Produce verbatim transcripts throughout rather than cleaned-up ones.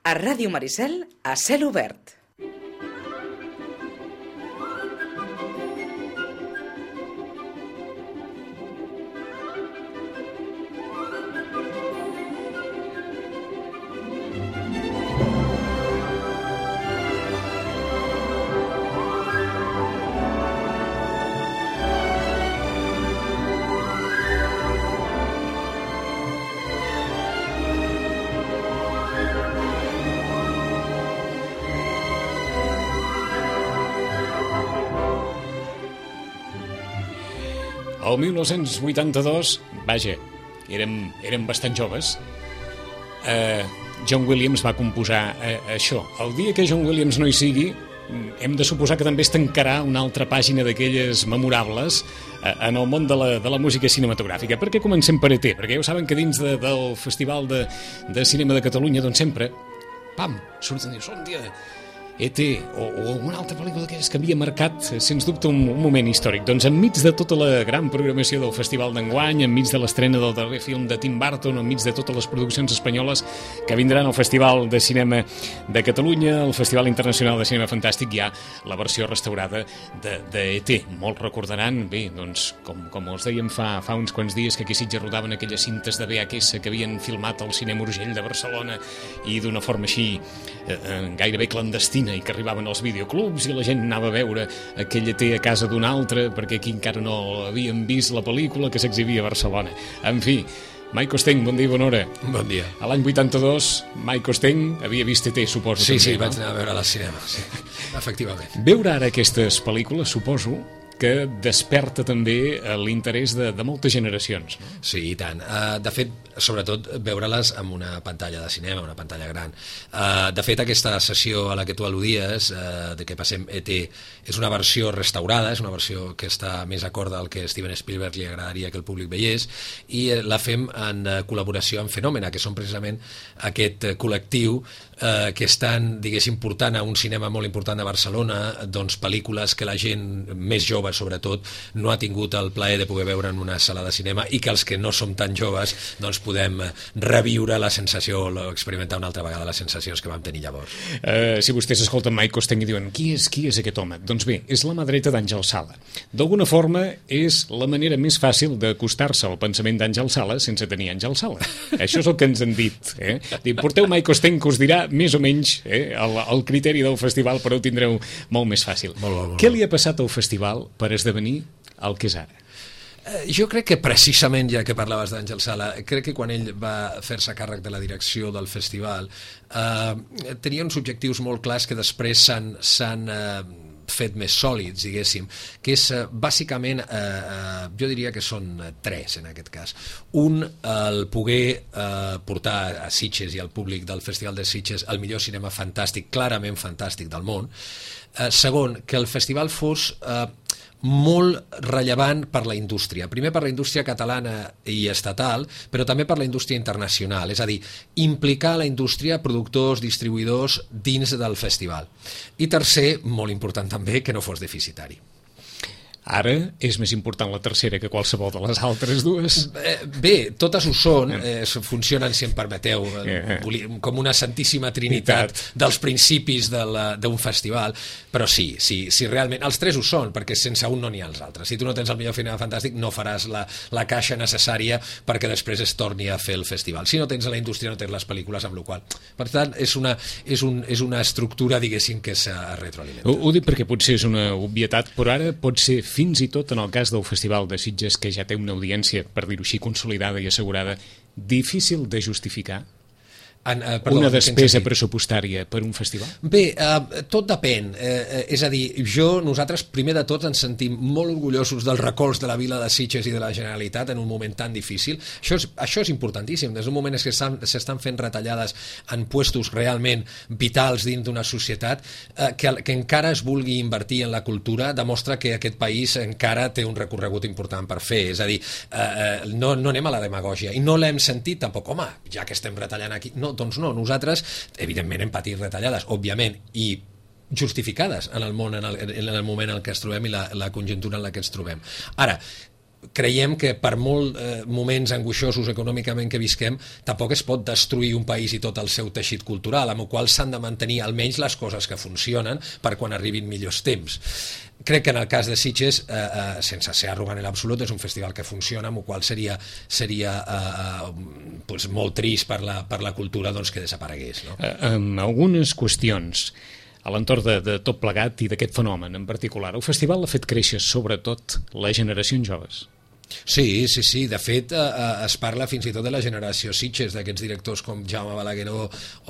A Ràdio Maricel, a cel obert. El mil nou-cents vuitanta-dos, vaja, érem, érem bastant joves, eh, John Williams va composar eh, això. El dia que John Williams no hi sigui, hem de suposar que també es tancarà una altra pàgina d'aquelles memorables eh, en el món de la, de la música cinematogràfica. Per què comencem per E T? Perquè ja ho saben que dins de, del Festival de, de Cinema de Catalunya, doncs sempre, pam, surten i dius, un dia E T o, o una altra pel·lícula d'aquelles que havia marcat, sens dubte, un, un moment històric. Doncs enmig de tota la gran programació del Festival d'enguany, enmig de l'estrena del darrer film de Tim Burton, enmig de totes les produccions espanyoles que vindran al Festival de Cinema de Catalunya, al Festival Internacional de Cinema Fantàstic, hi ha la versió restaurada de, de E T. Molts recordaran, bé, doncs, com, com els dèiem fa, fa uns quants dies, que aquí a Sitges rodaven aquelles cintes de V H S que havien filmat al Cinema Urgell de Barcelona i d'una forma així eh, gairebé clandestina, i que arribaven als videoclubs i la gent anava a veure aquell E T a casa d'un altre perquè aquí encara no havien vist la pel·lícula que s'exhibia a Barcelona. En fi, Mike Costeny, bon dia i bona hora. Bon dia. A l'any vuitanta-dos, Mike Costeny havia vist E T, suposo. Sí, també, sí, no? vaig anar a veure al cinema, sí, efectivament. Veure ara aquestes pel·lícules, suposo, que desperta també l'interès de, de moltes generacions. No? Sí, i tant. Uh, de fet, sobretot, veure-les amb una pantalla de cinema, una pantalla gran. Uh, de fet, aquesta sessió a la que tu al·ludies, uh, de que passem E T, és una versió restaurada, és una versió que està més acorda al que Steven Spielberg li agradaria que el públic veiés, i uh, la fem en uh, col·laboració amb Fenòmena, que són precisament aquest uh, col·lectiu uh, que estan, diguéssim, portant a un cinema molt important de Barcelona, doncs pel·lícules que la gent més jove sobretot no ha tingut el plaer de poder veure en una sala de cinema, i que els que no som tan joves doncs podem reviure la sensació o experimentar una altra vegada les sensacions que vam tenir llavors. Uh, si vostès escolten Mike Costeny i diuen qui és, qui és aquest home? Doncs bé, és la mà dreta d'Àngel Sala. D'alguna forma és la manera més fàcil d'acostar-se al pensament d'Àngel Sala sense tenir Àngel Sala. Això és el que ens han dit. Eh? Dic, porteu Mike Costeny, que us dirà més o menys eh, el, el criteri del festival, però ho tindreu molt més fàcil. Molt bo, molt Què li ha passat al festival per esdevenir el que és ara? Jo crec que precisament, ja que parlaves d'Àngel Sala, crec que quan ell va fer-se càrrec de la direcció del festival eh, tenia uns objectius molt clars que després s'han eh, fet més sòlids, diguéssim, que és eh, bàsicament, eh, eh, jo diria que són tres en aquest cas. Un, el poder eh, portar a Sitges i al públic del Festival de Sitges el millor cinema fantàstic, clarament fantàstic del món. Eh, segon, que el festival fos eh, molt rellevant per la indústria. Primer per la indústria catalana i estatal, però també per la indústria internacional, és a dir, implicar la indústria, productors, distribuïdors dins del festival. I tercer, molt important també, que no fos deficitari. Ara és més important la tercera que qualsevol de les altres dues. Bé, totes ho són, eh, funcionen, si em permeteu, eh, com una santíssima trinitat dels principis d'un festival, però sí, sí, sí, realment, els tres ho són, perquè sense un no n'hi ha els altres. Si tu no tens el millor cinema fantàstic, no faràs la, la caixa necessària perquè després es torni a fer el festival. Si no tens la indústria, no tens les pel·lícules, amb la qual cosa. Per tant, és una, és un, és una estructura, diguéssim, que s'ha retroalimentat. Ho, ho dic perquè potser és una obvietat, però ara pot ser fins i tot en el cas del Festival de Sitges, que ja té una audiència, per dir-ho així, consolidada i assegurada, difícil de justificar En, uh, perdó, una despesa pressupostària per un festival? Bé, uh, tot depèn. Uh, és a dir, jo, nosaltres, primer de tot, ens sentim molt orgullosos del recolz de la vila de Sitges i de la Generalitat en un moment tan difícil. Això és, això és importantíssim. Des d'un moment que s'estan fent retallades en puestos realment vitals dins d'una societat, uh, que, que encara es vulgui invertir en la cultura demostra que aquest país encara té un recorregut important per fer. És a dir, uh, no, no anem a la demagògia. I no l'hem sentit tampoc. Home, ja que estem retallant aquí... No, doncs no, nosaltres evidentment hem patit retallades, òbviament, i justificades en el món, en el, en el moment en què ens trobem i la, la conjuntura en la que ens trobem. Ara, creiem que per molts eh, moments angoixosos econòmicament que visquem, tampoc es pot destruir un país i tot el seu teixit cultural, amb el qual s'han de mantenir almenys les coses que funcionen per quan arribin millors temps. Crec que en el cas de Sitges, eh, eh, sense ser arrogant en l'absolut, és un festival que funciona, amb el qual seria, seria eh, pues, molt trist per la, per la cultura doncs, que desaparegués. No? Eh, amb algunes qüestions a l'entorn de, de tot plegat i d'aquest fenomen en particular, el festival ha fet créixer sobretot les generacions joves. Sí, sí, sí. De fet, eh, es parla fins i tot de la generació Sitges, d'aquests directors com Jaume Balagueró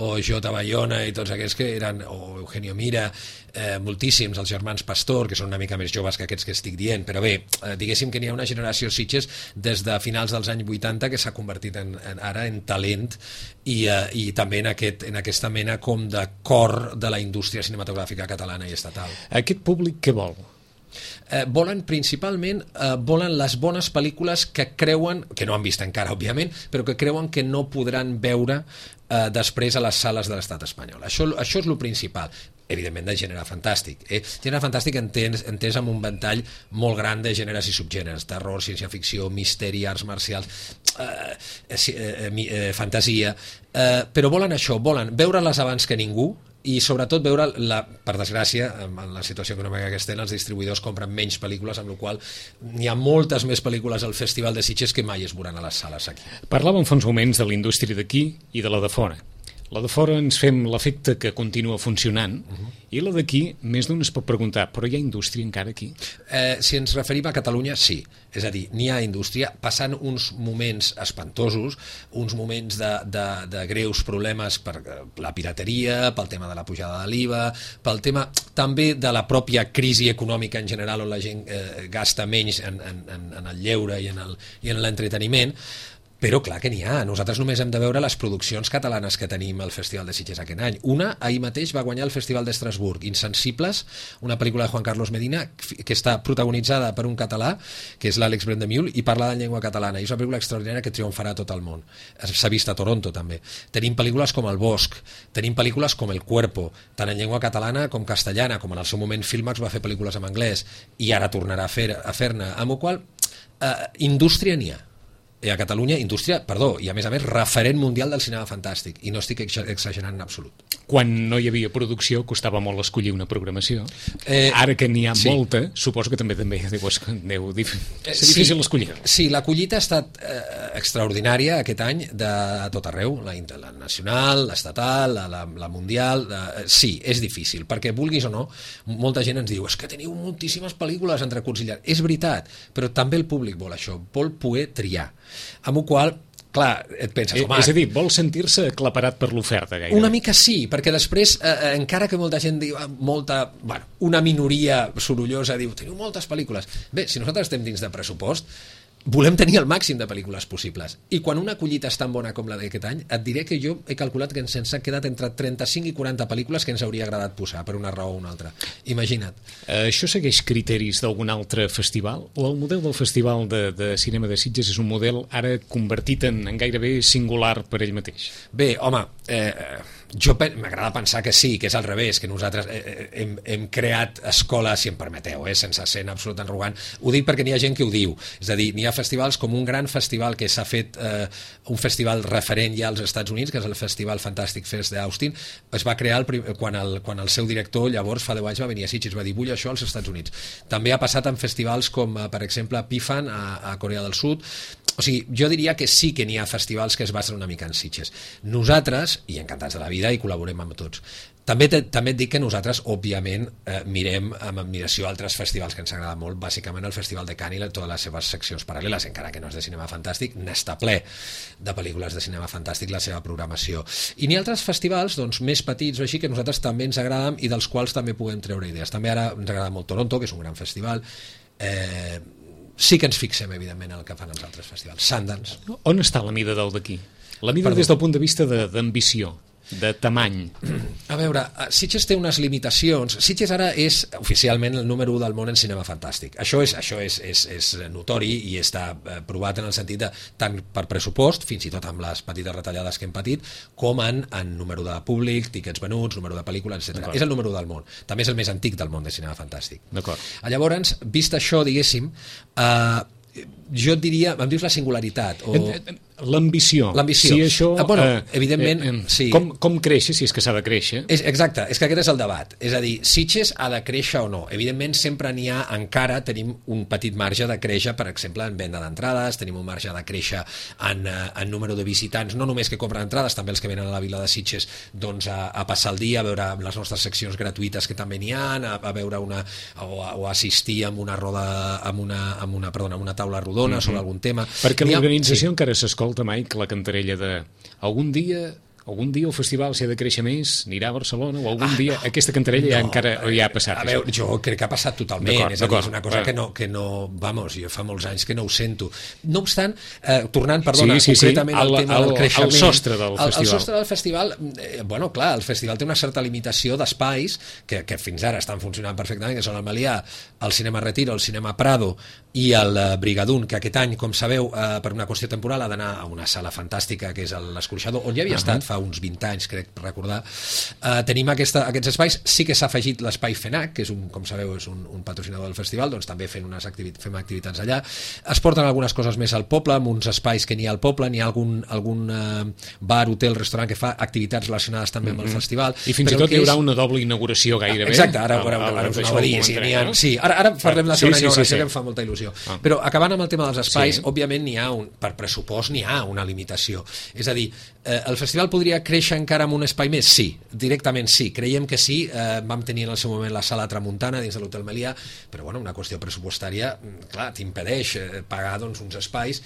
o Jota Bayona i tots aquests que eren, o Eugenio Mira, eh, moltíssims, els germans Pastor, que són una mica més joves que aquests que estic dient, però bé, eh, diguéssim que n'hi ha una generació Sitges des de finals dels anys vuitanta que s'ha convertit en, en, ara en talent i, eh, i també en, aquest, en aquesta mena com de cor de la indústria cinematogràfica catalana i estatal. Aquest públic què vol? Eh, volen principalment eh, volen les bones pel·lícules que creuen, que no han vist encara òbviament, però que creuen que no podran veure eh, després a les sales de l'estat espanyol. Això, això és el principal, evidentment de gènere fantàstic. Eh? Gènere fantàstic entès, entès amb un ventall molt gran de gèneres i subgèneres, terror, ciència-ficció, misteri, arts marcials, eh, eh, eh, fantasia, eh, però volen això, volen veure-les abans que ningú, i sobretot veure, la, per desgràcia, en la situació econòmica que estem, els distribuïdors compren menys pel·lícules, amb la qual hi ha moltes més pel·lícules al Festival de Sitges que mai es veuran a les sales aquí. Parlàvem fa uns moments de la indústria d'aquí i de la de fora. La de fora ens fem l'efecte que continua funcionant, uh-huh. i la d'aquí, més d'un es pot preguntar, però hi ha indústria encara aquí? Eh, si ens referim a Catalunya, sí. És a dir, n'hi ha indústria, passant uns moments espantosos, uns moments de, de, de greus problemes per la pirateria, pel tema de la pujada de l'I V A, pel tema també de la pròpia crisi econòmica en general, on la gent eh, gasta menys en, en, en el lleure i en el, i en l'entreteniment. Però clar que n'hi ha. Nosaltres només hem de veure les produccions catalanes que tenim al Festival de Sitges aquest any. Una, ahir mateix, va guanyar el Festival d'Estrasburg, Insensibles, una pel·lícula de Juan Carlos Medina que està protagonitzada per un català, que és l'Àlex Brendemiul, i parla en llengua catalana. I és una pel·lícula extraordinària que triomfarà a tot el món. S'ha vist a Toronto, també. Tenim pel·lícules com El Bosc, tenim pel·lícules com El Cuerpo, tant en llengua catalana com castellana, com en el seu moment Filmax va fer pel·lícules en anglès, i ara tornarà a fer-ne, a fer amb la qual eh, indústria n'hi ha. I a Catalunya, indústria, perdó, i a més a més referent mundial del cinema fantàstic, i no estic exagerant en absolut. Quan no hi havia producció costava molt escollir una programació. Eh, Ara que n'hi ha sí. molta, suposo que també també deu, deu dif... és difícil sí, escollir. Sí, la collita ha estat eh, extraordinària aquest any de tot arreu, la, la nacional, l'estatal, la, la, la mundial, la, eh, sí, és difícil, perquè vulguis o no, molta gent ens diu, és que teniu moltíssimes pel·lícules entre curts. És veritat, però també el públic vol això, vol poder triar. Amb el qual, clar, et penses... Eh, és a dir, vol sentir-se aclaparat per l'oferta, gairebé. Una mica sí, perquè després, eh, encara que molta gent diu, molta, bueno, una minoria sorollosa diu, teniu moltes pel·lícules. Bé, si nosaltres estem dins de pressupost, volem tenir el màxim de pel·lícules possibles. I quan una collita és tan bona com la d'aquest any, et diré que jo he calculat que ens ha quedat entre trenta-cinc i quaranta pel·lícules que ens hauria agradat posar, per una raó o una altra. Imagina't. Eh, això segueix criteris d'algun altre festival? O el model del Festival de, de Cinema de Sitges és un model ara convertit en, en gairebé singular per ell mateix? Bé, home, eh, jo m'agrada pensar que sí, que és al revés, que nosaltres eh, hem, hem creat escoles, si em permeteu, eh, sense ser en absolut arrogant. Ho dic perquè n'hi ha gent que ho diu. És a dir, n'hi ha festivals com un gran festival que s'ha fet, eh, un festival referent ja als Estats Units, que és el Festival Fantastic Fest d'Austin. Es va crear el, quan, el, quan el seu director, llavors, fa deu anys, va venir a Sitges, va dir, vull això als Estats Units. També ha passat en festivals com, per exemple, Pifan, a, a Corea del Sud. O sigui, jo diria que sí que n'hi ha festivals que es basen una mica en Sitges. Nosaltres, i encantats de la vida, i col·laborem amb tots. També, te, també et dic que nosaltres, òbviament, eh, mirem amb admiració altres festivals que ens agrada molt, bàsicament el Festival de Cannes i totes les seves seccions paral·leles, encara que no és de cinema fantàstic, n'està ple de pel·lícules de cinema fantàstic la seva programació. I n'hi ha altres festivals doncs, més petits o així que nosaltres també ens agraden i dels quals també podem treure idees. També ara ens agrada molt Toronto, que és un gran festival. Eh, sí que ens fixem, evidentment, en el que fan els altres festivals. Sundance. On està la mida del d'aquí? La mida Perdó. Des del punt de vista d'ambició, de, de tamany. A veure, Sitges té unes limitacions. Sitges ara és oficialment el número u del món en cinema fantàstic. Això és, això és, és, és notori i està provat en el sentit de tant per pressupost, fins i tot amb les petites retallades que hem patit, com en, en número de públic, tíquets venuts, número de pel·lícules, etcètera. És el número u del món. També és el més antic del món de cinema fantàstic. D'acord. Llavors, vist això, diguéssim, eh, jo et diria, em dius la singularitat o... L'ambició. L'ambició. Si això, ah, bueno, eh, evidentment, eh, eh, sí. Com, com créixer, si és que s'ha de créixer? És, exacte, és que aquest és el debat. És a dir, Sitges ha de créixer o no. Evidentment, sempre n'hi ha, encara tenim un petit marge de créixer, per exemple, en venda d'entrades, tenim un marge de créixer en, en número de visitants, no només que compren entrades, també els que venen a la vila de Sitges doncs, a, a passar el dia, a veure les nostres seccions gratuïtes que també n'hi ha, a, a veure una, o, a, o assistir a una roda, amb una, amb una, perdona, amb una taula rodona mm-hmm. sobre algun tema. Perquè l'organització sí. encara s'escolta, Mike, la cantarella de algun dia algun dia el festival s'ha de créixer més, anirà a Barcelona, o algun ah, dia aquesta cantarella no, ja encara ja ha passat. A veure, jo crec que ha passat totalment, és a dir, és una cosa bueno. que no, que no, vamos, jo fa molts anys que no ho sento. No obstant, eh, tornant, perdona, sí, sí, concretament sí. al tema del creixement... El sostre del el, festival. El sostre del festival, eh, bueno, clar, el festival té una certa limitació d'espais que, que fins ara estan funcionant perfectament, que són el Melià, el Cinema Retiro, el Cinema Prado i el eh, Brigadún, que aquest any, com sabeu, eh, per una qüestió temporal ha d'anar a una sala fantàstica que és l'Escorxador, on ja havia uh -huh. estat fa uns vint anys, crec recordar. Uh, tenim aquesta, aquests espais, sí que s'ha afegit l'espai FENAC, que és un, com sabeu, és un, un patrocinador del festival, doncs també fent unes activitats, fem activitats allà. Es porten algunes coses més al poble, amb uns espais que n'hi ha al poble, n'hi ha algun, algun uh, bar, hotel, restaurant que fa activitats relacionades també amb el mm-hmm. festival. I fins i tot hi haurà és... una doble inauguració gairebé. Exacte, ara, ara, ara, ara us anava a dir. Sí, ha, sí, ara, ara parlem de la segona sí, sí, inauguració, sí, sí. que em fa molta il·lusió. Ah. Però acabant amb el tema dels espais, sí. òbviament n'hi ha un, per pressupost n'hi ha una limitació. És a dir, eh, el festival podria créixer encara amb un espai més? Sí, directament sí, creiem que sí. Eh, vam tenir en el seu moment la sala Tramuntana dins de l'Hotel Melià, però bueno, una qüestió pressupostària, clar, t'impedeix eh, pagar doncs, uns espais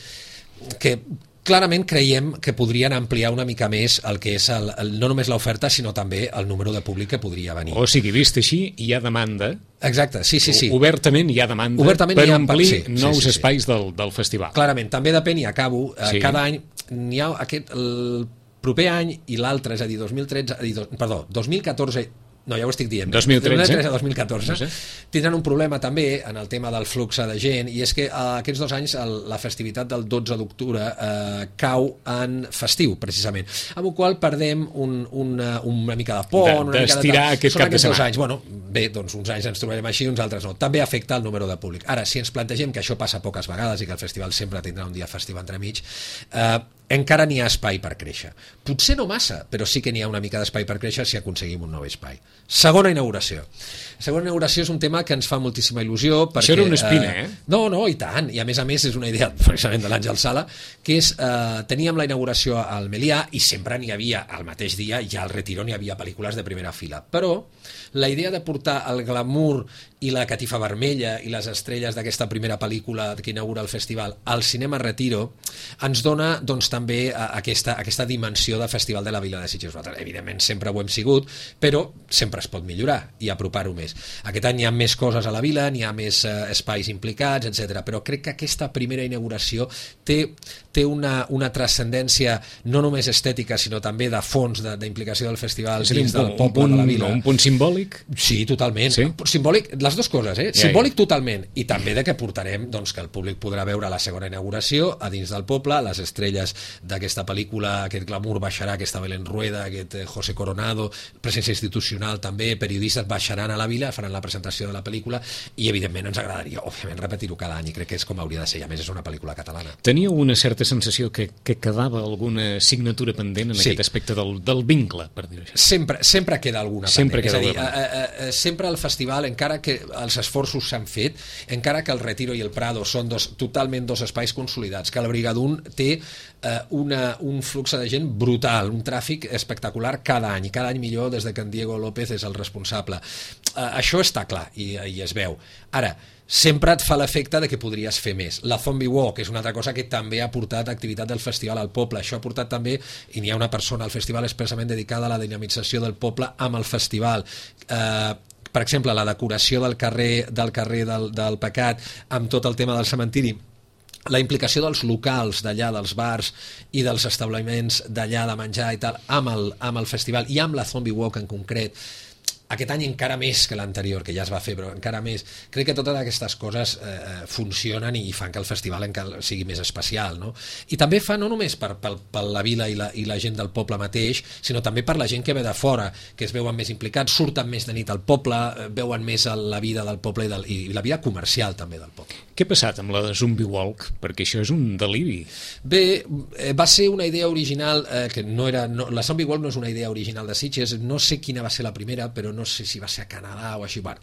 que clarament creiem que podrien ampliar una mica més el que és el, el, no només l'oferta, sinó també el número de públic que podria venir. O sigui, vist així, hi ha demanda. Exacte, sí, sí, sí. Obertament hi ha demanda Obertament per ha... omplir sí, nous sí, sí, espais sí. Del, del festival. Clarament, també depèn, i acabo, eh, sí. cada any n'hi ha aquest... El proper any i l'altre, és a dir, dos mil tretze, a dir, do, perdó, dos mil catorze... No, ja ho estic dient. dos mil tretze a dos mil catorze no sé. Tindran un problema també en el tema del flux de gent, i és que eh, aquests dos anys el, la festivitat del dotze d'octubre eh, cau en festiu, precisament, amb el qual perdem un, una, una mica de pont, de, una mica de tal. Aquest Són cap de aquests dos setmana. anys. Bueno, bé, doncs uns anys ens trobarem així, uns altres no. També afecta el número de públic. Ara, si ens plantegem que això passa poques vegades i que el festival sempre tindrà un dia festiu entremig, eh, encara n'hi ha espai per créixer. Potser no massa, però sí que n'hi ha una mica d'espai per créixer si aconseguim un nou espai. Segona inauguració. Segona inauguració és un tema que ens fa moltíssima il·lusió perquè... Això era una espina, eh? No, no, i tant. I a més a més és una idea precisament de l'Àngel Sala, que és, eh, teníem la inauguració al Melià i sempre n'hi havia, al mateix dia, ja al Retiro n'hi havia pel·lícules de primera fila. Però la idea de portar el glamour i la catifa vermella i les estrelles d'aquesta primera pel·lícula que inaugura el festival al Cinema Retiro ens dona doncs, també aquesta, aquesta dimensió de Festival de la Vila de Sitges. Evidentment sempre ho hem sigut, però sempre es pot millorar i apropar-ho més. Aquest any hi ha més coses a la vila, n'hi ha més eh, espais implicats, etcètera. Però crec que aquesta primera inauguració té, té una, una transcendència no només estètica, sinó també de fons, d'implicació del festival sí, dins un, del poble un, de la vila. Un punt simbòlic? Sí, totalment. Sí? Simbòlic, les dues coses, eh? Ja, Simbòlic ja. totalment, i també de que portarem doncs, que el públic podrà veure la segona inauguració a dins del poble, les estrelles d'aquesta pel·lícula, aquest glamour baixarà, aquesta Belén Rueda, aquest José Coronado, presència institucional també, periodistes baixaran a la vila, faran la presentació de la pel·lícula i evidentment ens agradaria, òbviament, repetir-ho cada any i crec que és com hauria de ser, i a més és una pel·lícula catalana. Teníeu una certa sensació que, que quedava alguna signatura pendent en sí. aquest aspecte del, del vincle, per dir-ho així? Sempre, sempre queda alguna sempre pendent, queda és a dir, a, a, a, sempre el festival, encara que els esforços s'han fet, encara que el Retiro i el Prado són dos, totalment dos espais consolidats, que el Brigadún té eh, una, un flux de gent brutal, un tràfic espectacular cada any, i cada any millor des de que en Diego López és el responsable. Eh, això està clar i, i es veu. Ara, sempre et fa l'efecte de que podries fer més. La Zombie Walk és una altra cosa que també ha portat activitat del festival al poble. Això ha portat també, i n'hi ha una persona al festival expressament dedicada a la dinamització del poble amb el festival. Eh, per exemple, la decoració del carrer del, carrer del, del Pecat amb tot el tema del cementiri, la implicació dels locals d'allà, dels bars i dels establiments d'allà de menjar i tal, amb el, amb el festival i amb la Zombie Walk en concret, aquest any encara més que l'anterior, que ja es va fer, però encara més. Crec que totes aquestes coses eh, funcionen i fan que el festival encara sigui més especial, no? I també fa no només per, per, per la vila i la, i la gent del poble mateix, sinó també per la gent que ve de fora, que es veuen més implicats, surten més de nit al poble, veuen més la vida del poble i, del, i la vida comercial també del poble. Què ha passat amb la de Zombie Walk? Perquè això és un deliri. Bé, va ser una idea original, eh, que no era... No, la Zombie Walk no és una idea original de Sitges, no sé quina va ser la primera, però no no sé si va ser a Canadà o així, bueno.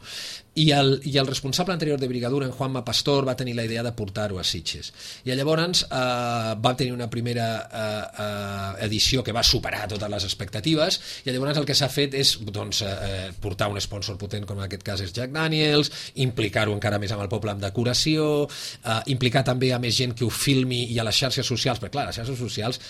I el, i el responsable anterior de Brigadura, en Juanma Pastor, va tenir la idea de portar-ho a Sitges. I llavors eh, va tenir una primera eh, eh, edició que va superar totes les expectatives, i llavors el que s'ha fet és doncs, eh, portar un sponsor potent, com en aquest cas és Jack Daniels, implicar-ho encara més amb el poble amb decoració, eh, implicar també a més gent que ho filmi i a les xarxes socials, perquè clar, les xarxes socials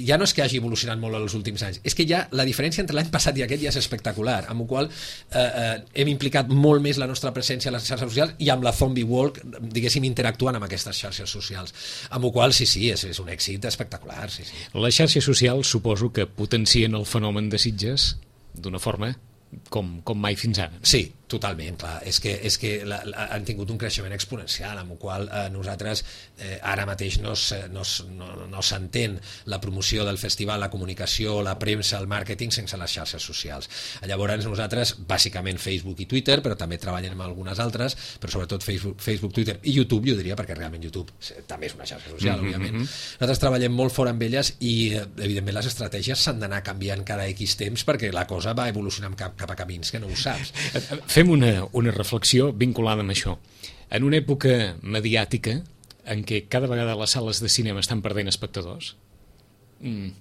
ja no és que hagi evolucionat molt en els últims anys, és que ja la diferència entre l'any passat i aquest ja és espectacular, amb la qual eh, eh, hem implicat molt més la nostra presència a les xarxes socials i amb la Zombie Walk, diguéssim, interactuant amb aquestes xarxes socials, amb la qual sí, sí, és, és un èxit espectacular. Sí, sí. Les xarxes socials suposo que potencien el fenomen de Sitges d'una forma com, com mai fins ara. Sí, totalment, clar. És que, és que la, la, han tingut un creixement exponencial, amb el qual eh, nosaltres eh, ara mateix no, no, no, no s'entén la promoció del festival, la comunicació, la premsa, el màrqueting sense les xarxes socials. Llavors nosaltres, bàsicament Facebook i Twitter, però també treballem amb algunes altres, però sobretot Facebook, Facebook Twitter i YouTube, jo diria, perquè realment YouTube també és una xarxa social, mm-hmm. òbviament. Nosaltres treballem molt fort amb elles i, evidentment, les estratègies s'han d'anar canviant cada X temps perquè la cosa va evolucionant cap, cap a camins que no ho saps. Fem una, una reflexió vinculada amb això. En una època mediàtica en què cada vegada les sales de cinema estan perdent espectadors, mm,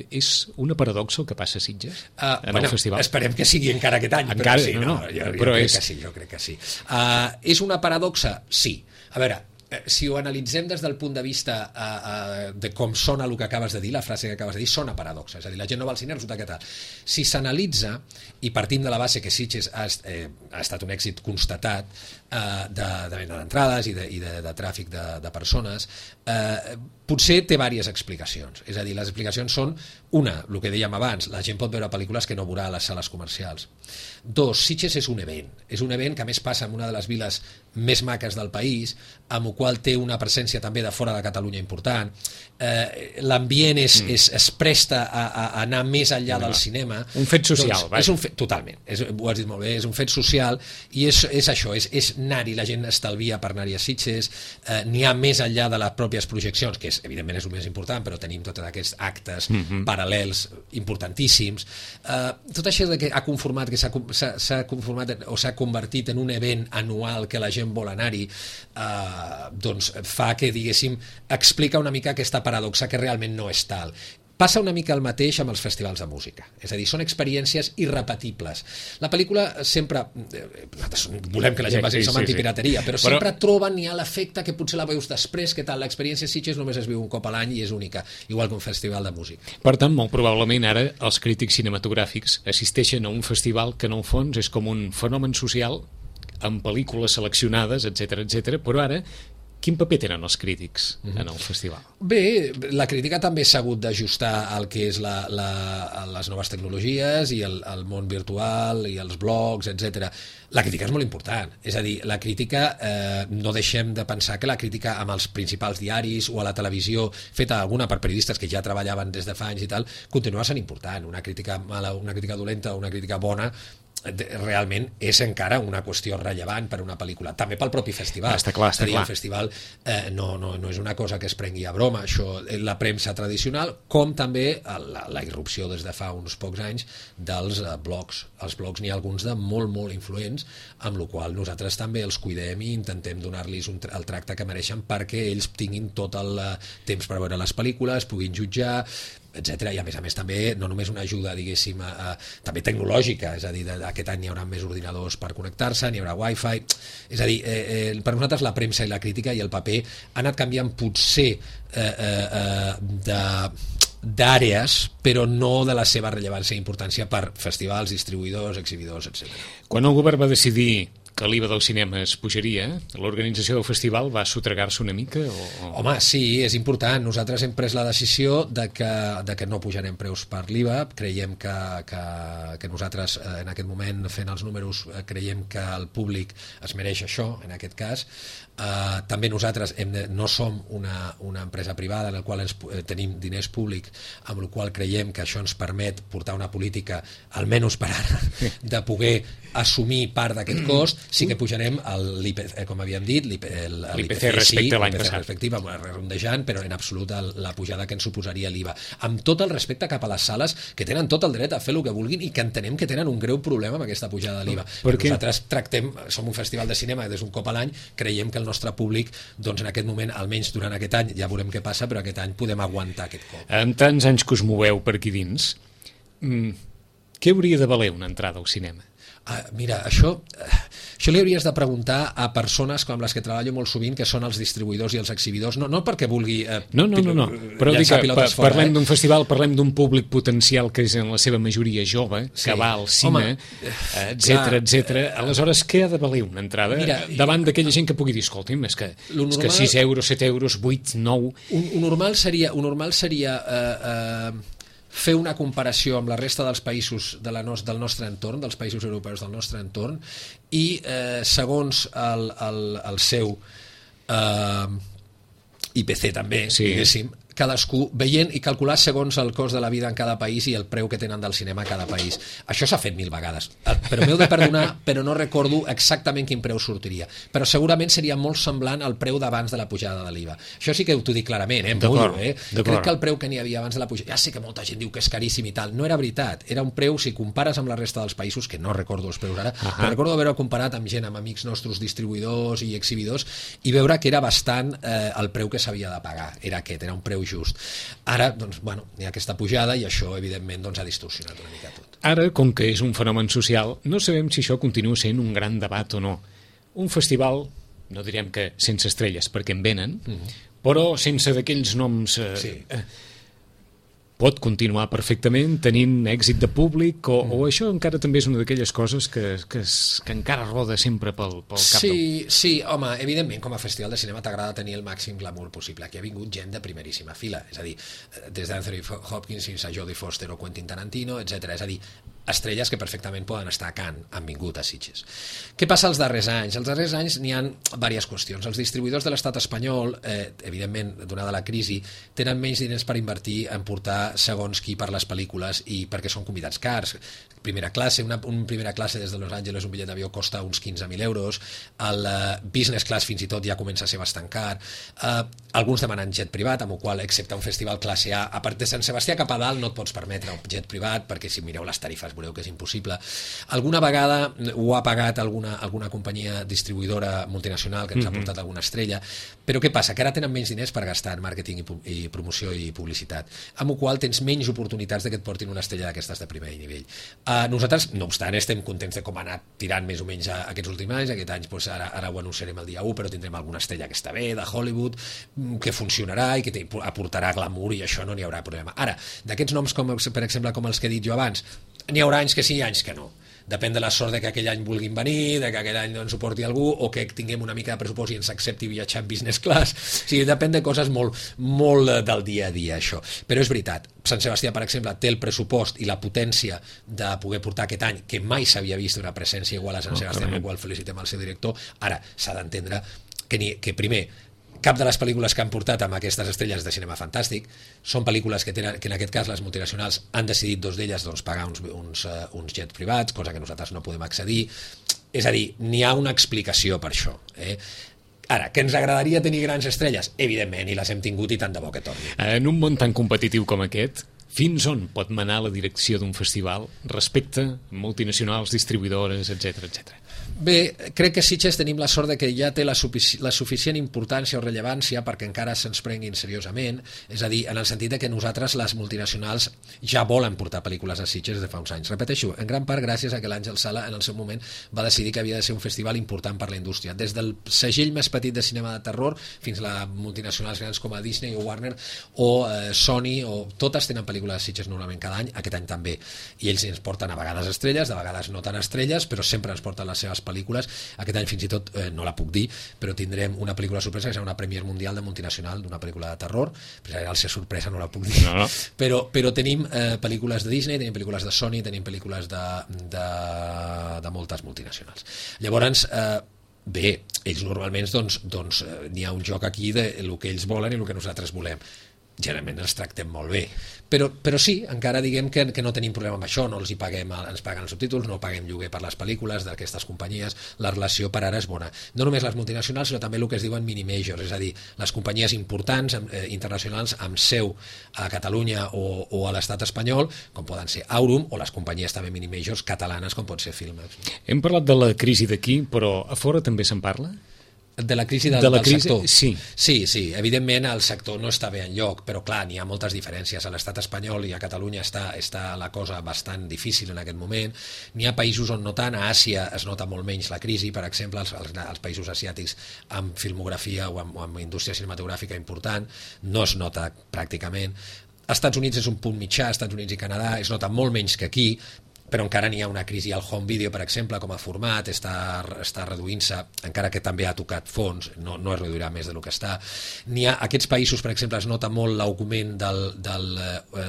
és una paradoxa el que passa a Sitges uh, en bueno, el festival? Esperem que sigui encara aquest any, encara, però sí, no, no, no, jo, jo però crec és... que sí, jo crec que sí. Uh, és una paradoxa? Sí. A veure, si ho analitzem des del punt de vista uh, uh, de com sona el que acabes de dir, la frase que acabes de dir, sona paradoxa, és a dir, la gent no va al cine, resulta que tal. Si s'analitza, i partim de la base que Sitges ha, eh, ha estat un èxit constatat uh, de, de venda d'entrades i, de, i de, de tràfic de, de persones, eh, potser té diverses explicacions. És a dir, les explicacions són, una, el que dèiem abans, la gent pot veure pel·lícules que no veurà a les sales comercials. Dos, Sitges és un event. És un event que a més passa en una de les viles més maques del país, amb el qual té una presència també de fora de Catalunya important. Eh, l'ambient és, mm. és, es presta a, a anar més enllà no, del cinema. Un fet social. Doncs, és un fet, totalment, és, ho has dit molt bé, és un fet social i és, és això, és, és anar-hi, la gent estalvia per anar-hi a Sitges, eh, n'hi ha més enllà de les pròpies projeccions, que és, evidentment és el més important, però tenim tots aquests actes mm-hmm. paral·lels importantíssims. Eh, tot això que ha conformat, que s'ha conformat o s'ha convertit en un event anual que la gent vol anar-hi, eh, doncs fa que, diguéssim, explica una mica aquesta paradoxa que realment no és tal. Passa una mica el mateix amb els festivals de música. És a dir, són experiències irrepetibles. La pel·lícula sempre... Nosaltres volem que la gent vagi sí, sí, som antipirateria, però, però sempre troben, hi ha l'efecte que potser la veus després, que tal, l'experiència Sitges només es viu un cop a l'any i és única, igual que un festival de música. Per tant, molt probablement ara els crítics cinematogràfics assisteixen a un festival que en el fons és com un fenomen social amb pel·lícules seleccionades, etcètera, etcètera, però ara quin paper tenen els crítics mm-hmm. en el festival? Bé, la crítica també s'ha hagut d'ajustar al que és la, la, les noves tecnologies i el, el món virtual i els blogs, etcètera. La crítica és molt important, és a dir, la crítica, eh, no deixem de pensar que la crítica amb els principals diaris o a la televisió, feta alguna per periodistes que ja treballaven des de fa anys i tal, continua sent important. Una crítica mala, una crítica dolenta, una crítica bona, realment és encara una qüestió rellevant per una pel·lícula, també pel propi festival. Està clar, està dir, clar. El festival eh, no, no, no és una cosa que es prengui a broma, això, la premsa tradicional, com també la, la irrupció des de fa uns pocs anys dels eh, blogs. Els blogs n'hi ha alguns de molt, molt influents, amb la qual nosaltres també els cuidem i intentem donar-los el tracte que mereixen perquè ells tinguin tot el temps per veure les pel·lícules, puguin jutjar, etcètera. I a més a més també no només una ajuda, diguéssim, a, a, també tecnològica, és a dir, de, aquest any hi haurà més ordinadors per connectar-se, n'hi haurà wifi, és a dir, eh, eh, per nosaltres la premsa i la crítica i el paper ha anat canviant potser eh, eh, eh, de d'àrees, però no de la seva rellevància i importància per festivals, distribuïdors, exhibidors, etcètera. Quan el govern va decidir que l'I V A del cinema es pujaria, l'organització del festival va sotregar-se una mica? O... Home, sí, és important. Nosaltres hem pres la decisió de que, de que no pujarem preus per l'I V A. Creiem que, que, que nosaltres, en aquest moment, fent els números, creiem que el públic es mereix això, en aquest cas. Uh, també nosaltres hem de, no som una, una empresa privada en la qual ens, eh, tenim diners públics, amb la qual creiem que això ens permet portar una política, almenys per ara, de poder assumir part d'aquest cost. Sí que pujarem l'I P C, com havíem dit, l'I P C respecte a l'any passat, respectiva, rondejant, però en absolut la pujada que ens suposaria l'I V A. Amb tot el respecte cap a les sales, que tenen tot el dret a fer el que vulguin i que entenem que tenen un greu problema amb aquesta pujada de l'I V A. Perquè nosaltres tractem, som un festival de cinema des d'un cop a l'any, creiem que el nostre públic, doncs en aquest moment, almenys durant aquest any, ja veurem què passa, però aquest any podem aguantar aquest cop. En tants anys que us moveu per aquí dins, mm, què hauria de valer una entrada al cinema? Uh, mira, això, uh, això li hauries de preguntar a persones com les que treballo molt sovint, que són els distribuïdors i els exhibidors, no, no perquè vulgui uh, no, no, no, no. Però dic que pa, fora, parlem eh? d'un festival, parlem d'un públic potencial que és en la seva majoria jove, sí. que va al cine, etcètera, etcètera. Aleshores, què ha de valer una entrada? Mira, davant d'aquella gent que pugui dir, escolti'm, és que, normal, és que sis euros, set euros, vuit, nou... Un, un normal seria, un normal seria uh, uh, fer una comparació amb la resta dels països de la nos, del nostre entorn, dels països europeus del nostre entorn, i eh, segons el, el, el seu eh, I P C també, sí. diguéssim, cadascú veient i calcular segons el cost de la vida en cada país i el preu que tenen del cinema a cada país. Això s'ha fet mil vegades, però m'heu de perdonar, però no recordo exactament quin preu sortiria. Però segurament seria molt semblant al preu d'abans de la pujada de l'I V A. Això sí que t'ho dic clarament, eh? Mullo, eh? Crec que el preu que n'hi havia abans de la pujada, ja sé que molta gent diu que és caríssim i tal, no era veritat, era un preu, si compares amb la resta dels països, que no recordo els preus ara, uh -huh. però recordo haver-ho comparat amb gent, amb amics nostres distribuïdors i exhibidors, i veure que era bastant eh, el preu que s'havia de pagar, era aquest, era un preu just. Ara, doncs, bueno, hi ha aquesta pujada i això, evidentment, doncs, ha distorsionat una mica tot. Ara, com que és un fenomen social, no sabem si això continua sent un gran debat o no. Un festival, no direm que sense estrelles, perquè en venen, mm-hmm. però sense d'aquells noms... Eh, sí. eh, pot continuar perfectament tenint èxit de públic o, mm. o això encara també és una d'aquelles coses que, que, es, que encara roda sempre pel, pel cap sí, del... Sí, home, evidentment com a festival de cinema t'agrada tenir el màxim glamour possible. Aquí ha vingut gent de primeríssima fila, és a dir, des d'Anthony Hopkins fins a Jodie Foster o Quentin Tarantino, etcètera. És a dir, estrelles que perfectament poden estar a Cannes, han vingut a Sitges. Què passa els darrers anys? Els darrers anys n'hi ha diverses qüestions. Els distribuïdors de l'estat espanyol, eh, evidentment, donada la crisi, tenen menys diners per invertir en portar segons qui per les pel·lícules i perquè són convidats cars. Primera classe, una, una primera classe des de Los Angeles, un bitllet d'avió costa uns quinze mil euros, el uh, business class fins i tot ja comença a ser bastant car, uh, alguns demanen jet privat, amb el qual, excepte un festival classe A, a part de Sant Sebastià cap a dalt no et pots permetre un jet privat, perquè si mireu les tarifes veureu que és impossible. Alguna vegada ho ha pagat alguna, alguna companyia distribuïdora multinacional que ens mm-hmm. ha portat alguna estrella, però què passa? Que ara tenen menys diners per gastar en màrqueting i, i promoció i publicitat, amb el qual tens menys oportunitats de que et portin una estrella d'aquestes de primer nivell. Uh, nosaltres, no obstant, estem contents de com ha anat tirant més o menys a, a aquests últims anys. Aquest any doncs, ara, ara ho anunciarem el dia u, però tindrem alguna estrella que està bé, de Hollywood, que funcionarà i que aportarà glamour i això no n'hi haurà problema. Ara, d'aquests noms, com, per exemple, com els que he dit jo abans, n'hi haurà anys que sí i anys que no. Depèn de la sort de que aquell any vulguin venir, de que aquell any ens ho porti algú, o que tinguem una mica de pressupost i ens accepti viatjar en business class. O sigui, depèn de coses molt, molt del dia a dia, això. Però és veritat, Sant Sebastià, per exemple, té el pressupost i la potència de poder portar aquest any, que mai s'havia vist una presència igual a Sant Sebastià, amb el qual felicitem el seu director. Ara, s'ha d'entendre que, ni, que primer, cap de les pel·lícules que han portat amb aquestes estrelles de cinema fantàstic són pel·lícules que, tenen, que en aquest cas les multinacionals han decidit, dos d'elles, doncs, pagar uns, uns, uh, uns jets privats, cosa que nosaltres no podem accedir. És a dir, n'hi ha una explicació per això. Eh? Ara, que ens agradaria tenir grans estrelles? Evidentment, i les hem tingut i tant de bo que torni. En un món tan competitiu com aquest, fins on pot manar la direcció d'un festival respecte a multinacionals, distribuïdores, etcètera, etcètera? Bé, crec que Sitges tenim la sort de que ja té la, sufici la suficient importància o rellevància perquè encara se'ns prenguin seriosament, és a dir, en el sentit de que nosaltres, les multinacionals, ja volen portar pel·lícules a Sitges des de fa uns anys. Repeteixo, en gran part gràcies a que l'Àngel Sala en el seu moment va decidir que havia de ser un festival important per la indústria. Des del segell més petit de cinema de terror fins a multinacionals grans com a Disney o Warner o eh, Sony, o totes tenen pel·lícules pel·lícula de Sitges normalment cada any, aquest any també, i ells ens porten a vegades estrelles, de vegades no tan estrelles, però sempre ens porten les seves pel·lícules. Aquest any fins i tot, eh, no la puc dir, però tindrem una pel·lícula sorpresa que serà una Premier Mundial de multinacional d'una pel·lícula de terror, però al ser sorpresa no la puc dir, no, no. Però, però tenim eh, pel·lícules de Disney, tenim pel·lícules de Sony, tenim pel·lícules de, de, de moltes multinacionals. Llavors, eh, bé, ells normalment doncs, doncs, n'hi ha un joc aquí de el que ells volen i el que nosaltres volem. Generalment ens tractem molt bé, però, però sí, encara diguem que, que no tenim problema amb això, no els hi paguem, ens paguen els subtítols, no paguem lloguer per les pel·lícules d'aquestes companyies, la relació per ara és bona. No només les multinacionals, sinó també el que es diuen mini-majors, és a dir, les companyies importants, eh, internacionals, amb seu a Catalunya o, o a l'estat espanyol, com poden ser Aurum, o les companyies també mini-majors catalanes, com pot ser Filmex. Hem parlat de la crisi d'aquí, però a fora també se'n parla? De la crisi del, de la del crisi, sector. Sí. sí, sí, evidentment el sector no està bé enlloc, però clar, n'hi ha moltes diferències. A l'estat espanyol i a Catalunya està, està la cosa bastant difícil en aquest moment. N'hi ha països on no tant, a Àsia es nota molt menys la crisi, per exemple, els, els, els països asiàtics amb filmografia o amb, o amb indústria cinematogràfica important, no es nota pràcticament. Als Estats Units és un punt mitjà, als Estats Units i Canadà es nota molt menys que aquí, però encara n'hi ha una crisi al home video, per exemple, com a format, està, està reduint-se, encara que també ha tocat fons, no, no es reduirà més del que està. N'hi ha, aquests països, per exemple, es nota molt l'augment del, del,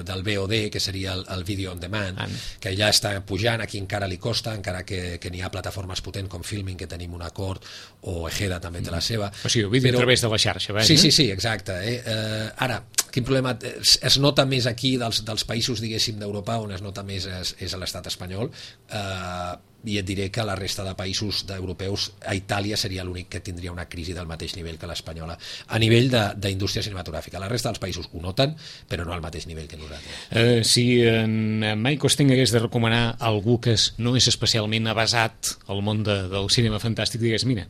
del V O D, que seria el, el video on demand, ah. que ja està pujant, aquí encara li costa, encara que, que n'hi ha plataformes potents com Filmin, que tenim un acord, o Ejeda també té la seva. O sigui, el vídeo però... a través de la xarxa, veig, sí, sí, sí, exacte. Eh? Eh, ara, quin problema? Es, es nota més aquí dels, dels països, diguéssim, d'Europa, on es nota més és, és a l'estat espanyol, eh, i et diré que la resta de països europeus, a Itàlia seria l'únic que tindria una crisi del mateix nivell que l'espanyola, a nivell d'indústria cinematogràfica. La resta dels països ho noten, però no al mateix nivell que nosaltres. Eh, si en Mike Costin hagués de recomanar algú que és, no és especialment avasat al món de, del cinema fantàstic, digués, mira,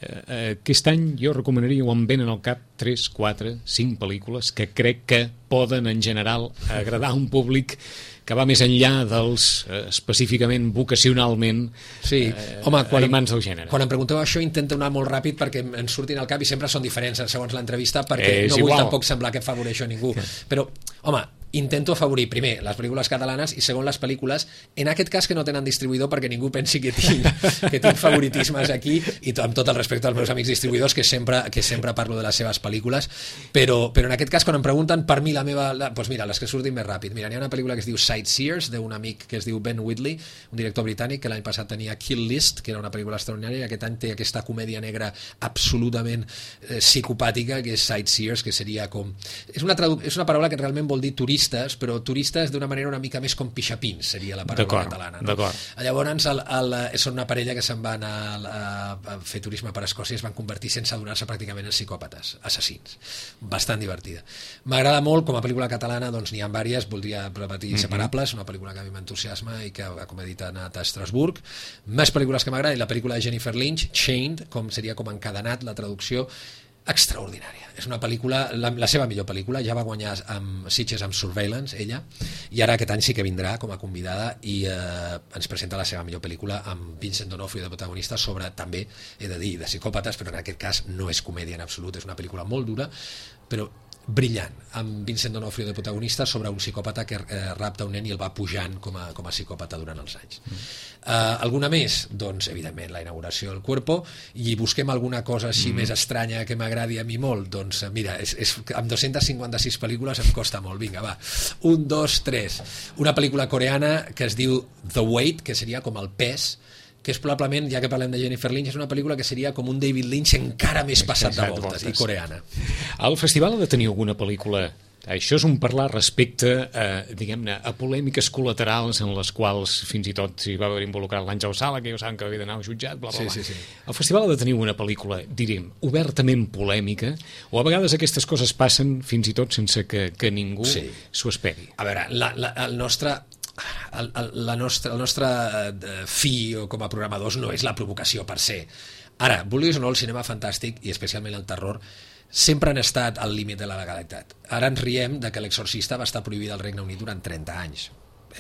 eh, aquest any jo recomanaria, o em venen al cap tres, quatre, cinc pel·lícules que crec que poden en general agradar a un públic que va més enllà dels eh, específicament vocacionalment sí. eh, Home, quan, animants del gènere. Quan em pregunteu això intento anar molt ràpid perquè em surtin al cap i sempre són diferents segons l'entrevista, perquè eh, no vull igual. tampoc semblar que afavoreixo a ningú, però home, intento afavorir primer les pel·lícules catalanes i segon les pel·lícules, en aquest cas que no tenen distribuïdor, perquè ningú pensi que tinc, que tinc favoritismes aquí, i amb tot el respecte als meus amics distribuïdors, que sempre, que sempre parlo de les seves pel·lícules, però, però en aquest cas quan em pregunten, per mi la meva, la, doncs mira, les que surtin més ràpid, mira, hi ha una pel·lícula que es diu Sightseers, d'un amic que es diu Ben Whitley, un director britànic que l'any passat tenia Kill List, que era una pel·lícula extraordinària, i aquest any té aquesta comèdia negra absolutament eh, psicopàtica, que és Sightseers, que seria com... És una, tradu... és una paraula que realment vol dir turistes, però turistes d'una manera una mica més com pixapins, seria la paraula catalana. No? Llavors, el, el, són una parella que se'n van a, a, a fer turisme per Escòcia i es van convertir sense adonar-se pràcticament en psicòpates, assassins. Bastant divertida. M'agrada molt, com a pel·lícula catalana, doncs n'hi ha diverses, voldria repetir Inseparables, una pel·lícula que a mi m'entusiasma i que, com he dit, ha anat a Estrasburg. Més pel·lícules que m'agraden, la pel·lícula de Jennifer Lynch, Chained, com seria com encadenat, la traducció, extraordinària. És una pel·lícula, la, la seva millor pel·lícula, ja va guanyar amb Sitges amb Surveillance, ella, i ara aquest any sí que vindrà com a convidada i eh, ens presenta la seva millor pel·lícula amb Vincent D'Onofrio de protagonista sobre, també, he de dir, de psicòpates, però en aquest cas no és comèdia en absolut, és una pel·lícula molt dura, però brillant, amb Vincent D'Onofrio de protagonista sobre un psicòpata que eh, rapta un nen i el va pujant com a, com a psicòpata durant els anys. Mm. Uh, alguna més? Doncs, evidentment, la inauguració del Cuerpo, i busquem alguna cosa així mm. més estranya que m'agradi a mi molt. Doncs, mira, és, és, amb dos-centes cinquanta-sis pel·lícules em costa molt. Vinga, va. Un, dos, tres. Una pel·lícula coreana que es diu The Weight, que seria com el pes, que és probablement, ja que parlem de Jennifer Lynch, és una pel·lícula que seria com un David Lynch encara més passat de voltes, voltes, i coreana. El festival ha de tenir alguna pel·lícula... Això és un parlar respecte a, diguem-ne, a polèmiques col·laterals en les quals fins i tot s'hi va haver involucrat l'Àngel Sala, que ja saben que havia d'anar al jutjat, bla, bla, bla. Sí, sí, sí. El festival ha de tenir una pel·lícula, diríem, obertament polèmica, o a vegades aquestes coses passen fins i tot sense que, que ningú sí. s'ho esperi. A veure, la, la, el nostre... El, el, la nostra, el nostre eh, fi com a programadors no és la provocació per se. Ara, vulguis o no, el cinema fantàstic i especialment el terror sempre han estat al límit de la legalitat. Ara ens riem de que l'Exorcista va estar prohibida al Regne Unit durant trenta anys.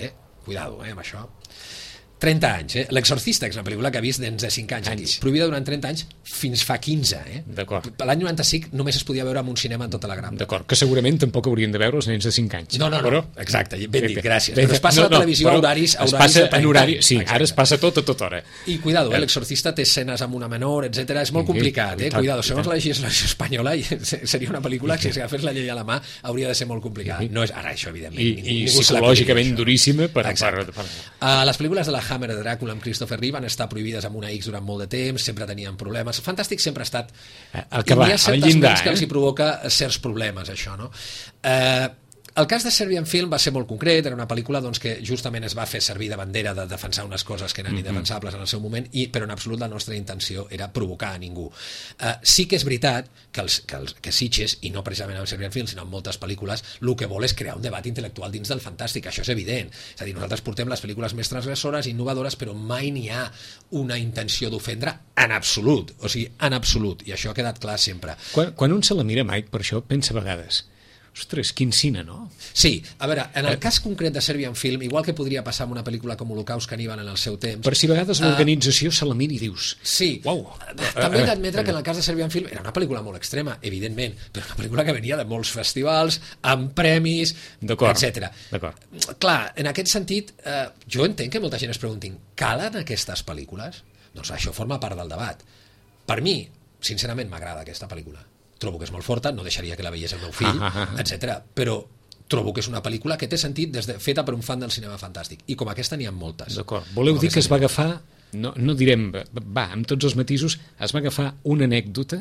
Eh? Cuidado, eh, amb això. trenta anys, eh? L'Exorcista, que és una pel·lícula que ha vist nens de cinc anys, anys. aquí. Prohibida durant trenta anys fins fa quinze, eh? D'acord. L'any noranta-cinc només es podia veure en un cinema en tota la gran. D'acord, que segurament tampoc haurien de veure els nens de cinc anys. No, no, no, però... exacte, ben dit, gràcies. Bé, Però es passa no, a la televisió no, a horaris, a es horaris passa de en horari, time. sí, Exacte. ara es passa tot a tota hora. I cuidado, eh? L'Exorcista té escenes amb una menor, etcètera. És molt Sí, complicat, i eh? tant, Cuidado, i segons tant. la legislació espanyola seria una pel·lícula que si agafés la llei a la mà hauria de ser molt complicada. No és ara això, evidentment. I, ningú, i ningú se la psicològicament podria, duríssima per, per, Exacte. per... Uh, les pel·lícules de la Hammer de Dràcula amb Christopher Reeve van estar prohibides amb una X durant molt de temps, sempre tenien problemes. Fantàstic sempre ha estat... El que I va, hi ha al certes llindar, ments que eh? els hi provoca certs problemes, això, no? Eh... El cas de Serbian Film va ser molt concret, era una pel·lícula doncs, que justament es va fer servir de bandera de defensar unes coses que eren mm-hmm. indefensables en el seu moment, i, però en absolut la nostra intenció era provocar a ningú. Uh, sí que és veritat que, els, que, els, que Sitges, i no precisament amb Serbian Film, sinó en moltes pel·lícules, el que vol és crear un debat intel·lectual dins del fantàstic, això és evident. És a dir, nosaltres portem les pel·lícules més transgressores, innovadores, però mai n'hi ha una intenció d'ofendre en absolut, o sigui, en absolut, i això ha quedat clar sempre. Quan, quan un se la mira, Mike, per això pensa a vegades... Ostres, quin cine, no? Sí, a veure, en el cas concret de Serbian Film, igual que podria passar amb una pel·lícula com Holocaust Caníbal en el seu temps... Per si a vegades l'organització uh, se la mira i dius... Sí, uau. També he d'admetre que en el cas de Serbian Film era una pel·lícula molt extrema, evidentment, però una pel·lícula que venia de molts festivals, amb premis, etcètera. D'acord. Clar, en aquest sentit, eh, jo entenc que molta gent es preguntin, calen aquestes pel·lícules? Doncs això forma part del debat. Per mi, sincerament, m'agrada aquesta pel·lícula. Trobo que és molt forta, no deixaria que la veiés el meu fill, ah, ah, ah. etcètera. Però trobo que és una pel·lícula que té sentit des de, feta per un fan del cinema fantàstic, i com aquesta n'hi ha moltes. D'acord. Voleu dir que es va agafar, no, no direm, va, amb tots els matisos, es va agafar una anècdota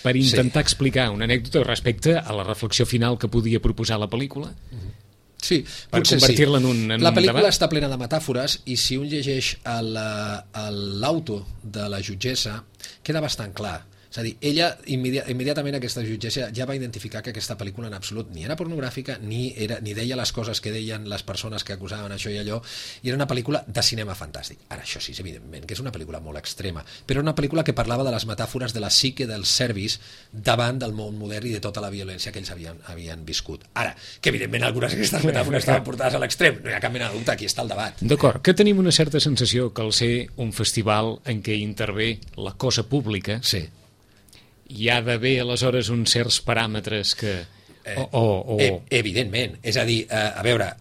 per intentar sí. explicar una anècdota respecte a la reflexió final que podia proposar la pel·lícula? Mm-hmm. Sí, per convertir-la en un, en la pel·lícula un debat? està plena de metàfores, i si un llegeix l'auto de la jutgessa queda bastant clar. És a dir, ella immedi immediatament aquesta jutgessa ja va identificar que aquesta pel·lícula en absolut ni era pornogràfica, ni, era, ni deia les coses que deien les persones que acusaven això i allò, i era una pel·lícula de cinema fantàstic. Ara, això sí, evidentment, que és una pel·lícula molt extrema, però una pel·lícula que parlava de les metàfores de la psique dels serbis davant del món modern i de tota la violència que ells havien, havien viscut. Ara, que evidentment algunes d'aquestes metàfores estaven portades a l'extrem, no hi ha cap mena de dubte, aquí està el debat. D'acord, que tenim una certa sensació que al ser un festival en què intervé la cosa pública, sí. hi ha d'haver aleshores uns certs paràmetres que... O, o, o... Eh, evidentment, és a dir, eh, a veure,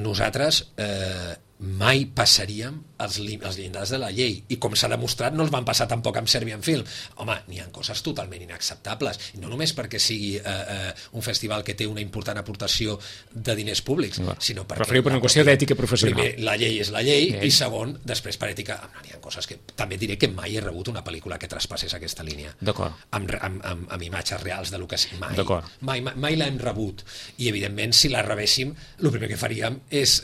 nosaltres eh, mai passaríem els, els llindars de la llei, i com s'ha demostrat no els van passar tampoc amb Serbian Film. Home, n'hi ha coses totalment inacceptables, i no només perquè sigui eh, eh, un festival que té una important aportació de diners públics, no, sinó perquè... Referiu per una qüestió d'ètica professional. Primer, la llei és la llei, llei. I segon, després per ètica, no, n'hi ha coses que... També diré que mai he rebut una pel·lícula que traspassés aquesta línia. D'acord. Amb, amb, amb, amb imatges reals de lo que sigui. Mai, mai, mai, mai l'hem rebut. I, evidentment, si la rebéssim, el primer que faríem és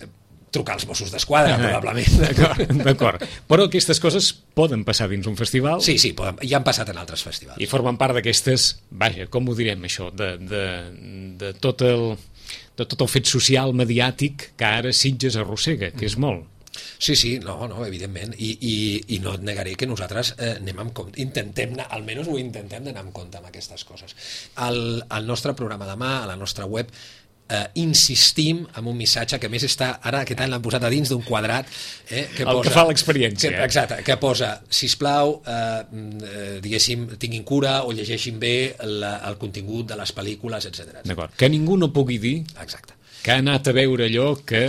trucar als Mossos d'Esquadra, probablement. D'acord. Però aquestes coses poden passar dins un festival? Sí, sí, poden, ja han passat en altres festivals. I formen part d'aquestes, vaja, com ho direm això, de, de, de, tot el, de tot el fet social, mediàtic, que ara Sitges arrossega, que és molt. Sí, sí, no, no, evidentment, i, i, i no et negaré que nosaltres eh, anem amb compte, intentem anar, almenys ho intentem d'anar amb compte amb aquestes coses. Al, al nostre programa demà, a la nostra web, Uh, insistim en un missatge que més està, ara aquest any l'han posat a dins d'un quadrat, eh, que el posa, que fa l'experiència. Eh? Exacte, que posa, sisplau, uh, uh, diguéssim, tinguin cura o llegeixin bé la, el contingut de les pel·lícules, etcètera. D'acord, que ningú no pugui dir Exacte. que ha anat a veure allò que...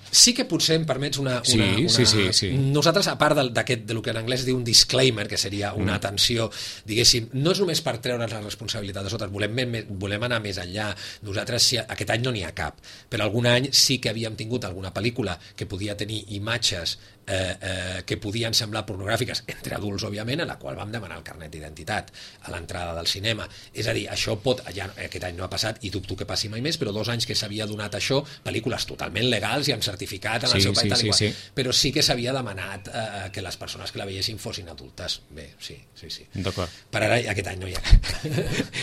Sí que potser em permets una... una, sí, una... Sí, sí, sí. Nosaltres, a part d'aquest, de lo que en anglès es diu un disclaimer, que seria una mm. atenció, diguéssim, no és només per treure's la responsabilitat de sota, volem, volem anar més enllà. Nosaltres, si aquest any no n'hi ha cap, però algun any sí que havíem tingut alguna pel·lícula que podia tenir imatges eh, eh, que podien semblar pornogràfiques, entre adults, òbviament, a la qual vam demanar el carnet d'identitat a l'entrada del cinema. És a dir, això pot... Ja, aquest any no ha passat i dubto que passi mai més, però dos anys que s'havia donat això, pel·lícules totalment legals i amb certificat en sí, el seu país, sí, sí, sí. Però sí que s'havia demanat eh, que les persones que la veiessin fossin adultes. Bé, sí, sí, sí. D'acord. Per ara, aquest any no hi ha.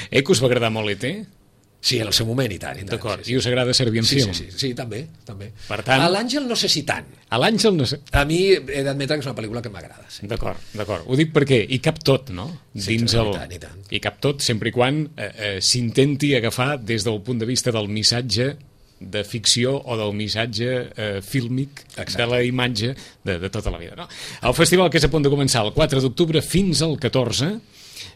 Eh, que us va agradar molt E T? Sí, en el seu moment i tant. tant D'acord, sí, sí. I us agrada Serbian sí, Film? Sí, sí, sí, també, també. Per tant... A l'Àngel no sé si tant. A l'Àngel no sé... A mi he d'admetre que és una pel·lícula que m'agrada. Sí. D'acord, d'acord. Ho dic perquè hi cap tot, no? Sí, Dins el... el... I tant, i tant. Hi cap tot, sempre i quan eh, eh, s'intenti agafar des del punt de vista del missatge de ficció o del missatge eh, fílmic Exacte. de la imatge de, de tota la vida. No? El festival, que és a punt de començar el quatre d'octubre fins al catorze,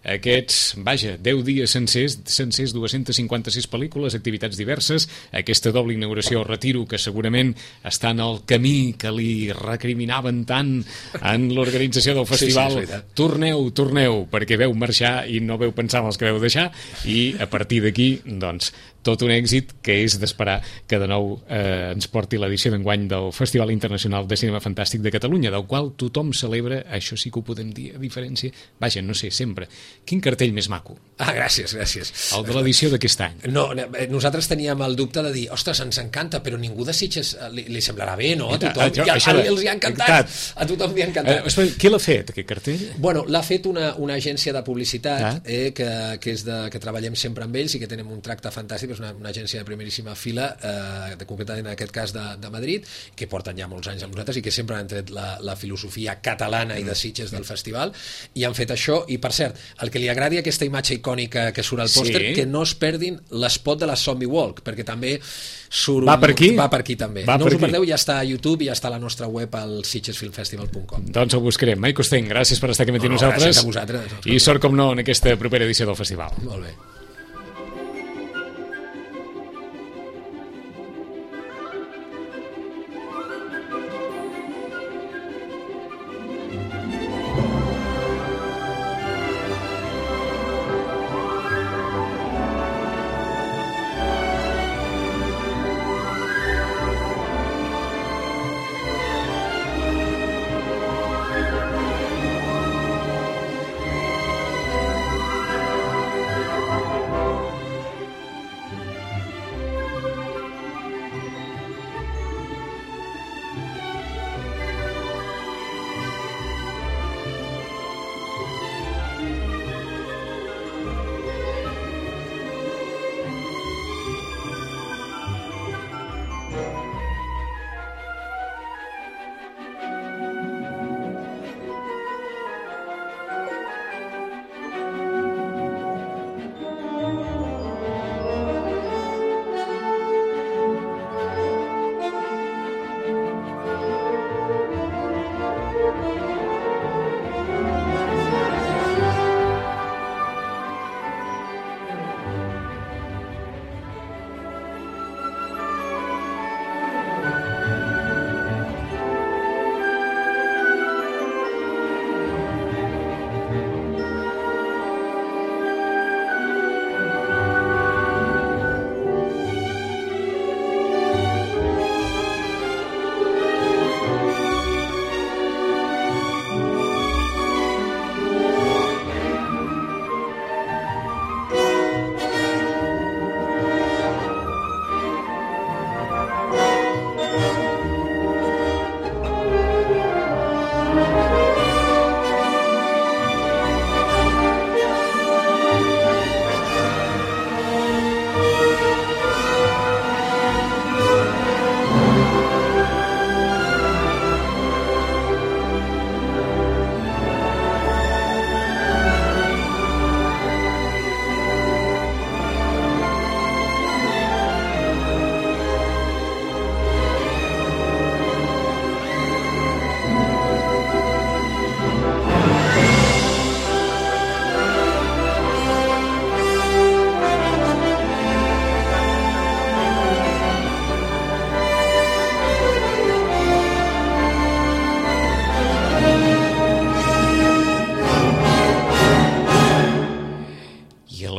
aquests, vaja, deu dies sencers, sencers, dues-centes cinquanta-sis pel·lícules, activitats diverses, aquesta doble inauguració o retiro que segurament està en el camí que li recriminaven tant en l'organització del festival. Sí, sí, torneu, torneu, perquè veu marxar i no veu pensar en els que veu deixar, i a partir d'aquí, doncs, tot un èxit que és d'esperar que de nou eh, ens porti l'edició d'enguany del Festival Internacional de Cinema Fantàstic de Catalunya, del qual tothom celebra, això sí que ho podem dir, a diferència, vaja, no sé, sempre. Quin cartell més maco. Ah, gràcies, gràcies. El de l'edició d'aquest any. No, nosaltres teníem el dubte de dir, ostres, ens encanta, però ningú de Sitges li, li semblarà bé, no? A tothom, ja, a, els hi ha encantat. A tothom li ha encantat. Eh, qui l'ha fet, aquest cartell? Bueno, l'ha fet una, una agència de publicitat ah. eh, que, que, és de, que treballem sempre amb ells i que tenim un tracte fantàstic, és una, una agència de primeríssima fila, eh, de, concretament en aquest cas de, de Madrid, que porten ja molts anys amb nosaltres i que sempre han tret la, la filosofia catalana i de Sitges del festival, i han fet això. I per cert, el que li agradi aquesta imatge icònica que surt al pòster, sí. que no es perdin l'espot de la Zombie Walk, perquè també surt va per aquí, va per aquí també. Va no us ho perdeu, ja està a YouTube i ja està a la nostra web al sitges film festival punt com. Doncs ho buscarem. Mike Costeny, gràcies per estar aquí amb no, nosaltres. Gràcies a vosaltres. I sort com no en aquesta propera edició del festival. Molt bé.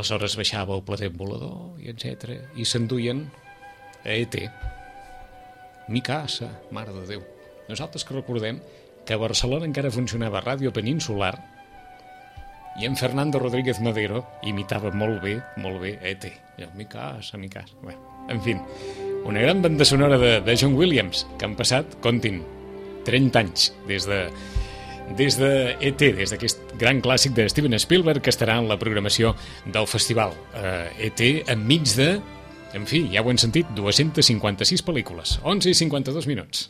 aleshores baixava el platet volador, i etcètera, i s'enduien a E T. Mi casa, mare de Déu. Nosaltres que recordem que a Barcelona encara funcionava Ràdio Peninsular i en Fernando Rodríguez Madero imitava molt bé, molt bé E T. Mi casa, mi casa. Bé, en fi, una gran banda sonora de, de John Williams, que han passat, comptin, trenta anys des de des de E T, des d'aquest gran clàssic de Steven Spielberg que estarà en la programació del festival. Eh, E T enmig de, en fi, ja ho hem sentit, dues-centes cinquanta-sis pel·lícules, onze i cinquanta-dos minuts.